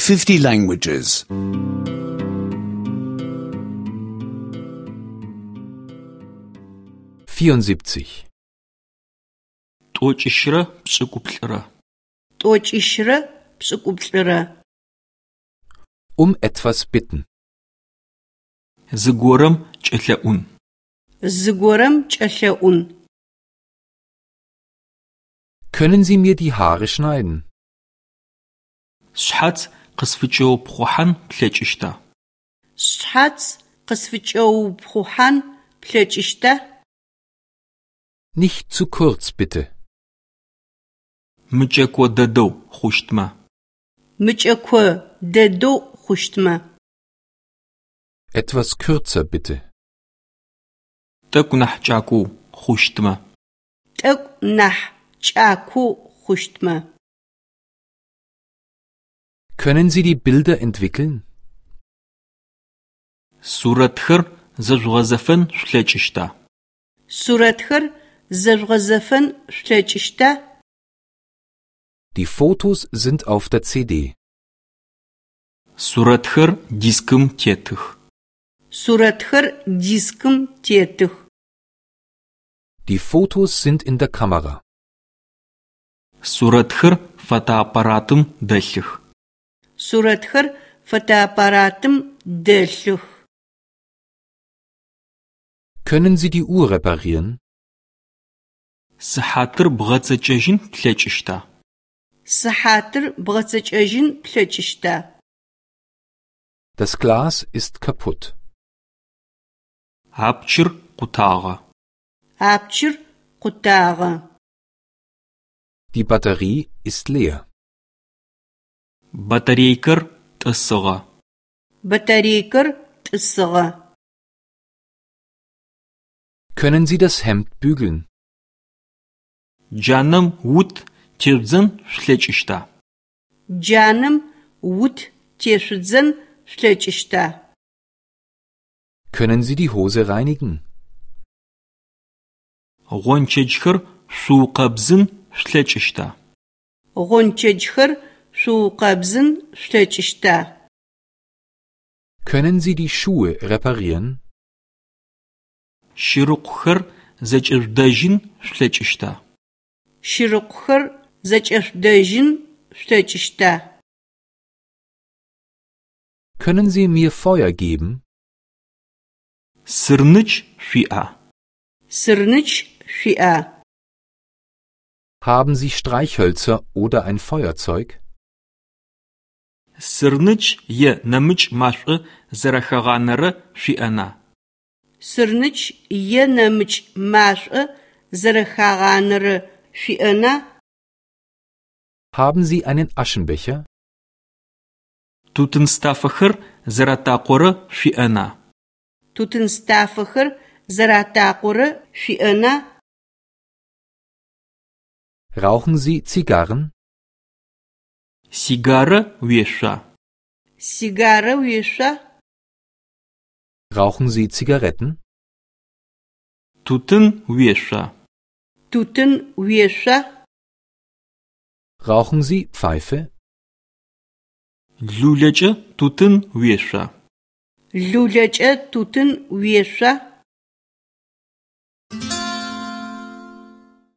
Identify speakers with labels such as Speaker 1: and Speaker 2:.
Speaker 1: 50 languages.
Speaker 2: 74.
Speaker 3: 172.
Speaker 4: 172.
Speaker 2: Um etwas bitten.
Speaker 3: Зыгорэм кӏэлъэӏун.
Speaker 4: Зыгорэм кӏэлъэӏун.
Speaker 2: Können Sie mir die Haare schneiden?
Speaker 3: Сшъхьац къысфыкӏэупхъухьан плъэкӏыщта?
Speaker 4: Сшъхьац къысфыкӏэупхъухьан плъэкӏыщта?
Speaker 2: Nicht zu kurz, bitte.
Speaker 3: Мыкӏэко дэдэу хъущтмэ.
Speaker 4: Мыкӏэко дэдэу хъущтмэ.
Speaker 2: Etwas kürzer, bitte.
Speaker 3: Тӏэкӏу нахь кӏакоу хъущтмэ.
Speaker 4: Тӏэкӏу нахь кӏакоу хъущтмэ.
Speaker 2: Können Sie die Bilder entwickeln?
Speaker 3: Сурэтхэр зэжъугъэзэфэн шъулъэкӏыщта?
Speaker 4: Сурэтхэр зэжъугъэзэфэн шъулъэкӏыщта?
Speaker 2: Die Fotos sind auf der CD.
Speaker 3: Сурэтхэр дискым тетых.
Speaker 4: Сурэтхэр дискым тетых.
Speaker 2: Die Fotos sind in der Kamera.
Speaker 3: Сурэтхэр фотоаппаратым дэлъых.
Speaker 4: Сурэтхэр фотоаппаратым дэлъых.
Speaker 2: Können Sie die Uhr reparieren?
Speaker 3: Сыхьатыр бгъэцэкӏэжьын плъэкӏыщта?
Speaker 4: Сыхьатыр бгъэцэкӏэжьын плъэкӏыщта?
Speaker 2: Das Glas ist kaputt.
Speaker 3: Апчыр къутагъэ.
Speaker 4: Апчыр къутагъэ.
Speaker 2: Die Batterie ist leer.
Speaker 3: Батарейкэр тӏысыгъэ.
Speaker 4: Батарейкэр тӏысыгъэ.
Speaker 2: Können Sie das Hemd bügeln?
Speaker 3: Джанэм ут тежъудзэн шъулъэкӏыщта?
Speaker 4: Джанэм ут тешъудзэн шъулъэкӏыщта?
Speaker 2: Können Sie die Hose reinigen?
Speaker 3: Гъончэджхэр шъуукъэбзын шъулъэкӏыщта?
Speaker 4: Гъончэджхэр шъуукъэбзын шъулъэкӏыщта?
Speaker 2: Können Sie die Schuhe reparieren?
Speaker 3: Щырыкъухэр зэкӏэжъудэжьын шъулъэкӏыщта?
Speaker 4: Щырыкъухэр зэкӏэшъудэжьын шъулъэкӏыщта?
Speaker 2: Können Sie mir Feuer geben?
Speaker 3: Сырныч шъуиӏа?
Speaker 4: Сырныч шъуиӏа?
Speaker 2: Haben Sie Streichhölzer oder ein Feuerzeug?
Speaker 3: Сырныч е нэмыкӏ машӏо зэрэхагъанэрэ шъуиӏэна?
Speaker 4: Сырныч е нэмыкӏ машӏо зэрэхагъанэрэ шъуиӏэна?
Speaker 2: Haben Sie einen Aschenbecher?
Speaker 3: Тутын стафэхэр зэратакъорэ шъуиӏэна?
Speaker 4: Тутын стафэхэр зэратакъорэ шъуиӏэна?
Speaker 2: Rauchen Sie Zigarren?
Speaker 3: Сигарэ уешъуа?
Speaker 4: Сигарэ уешъуа?
Speaker 2: Rauchen Sie Zigaretten?
Speaker 3: Тутын уешъуа?
Speaker 4: Тутын уешъуа?
Speaker 2: Rauchen Sie Pfeife?
Speaker 3: Лулэкӏэ тутын уешъуа?
Speaker 4: Лулэкӏэ тутын уешъуа?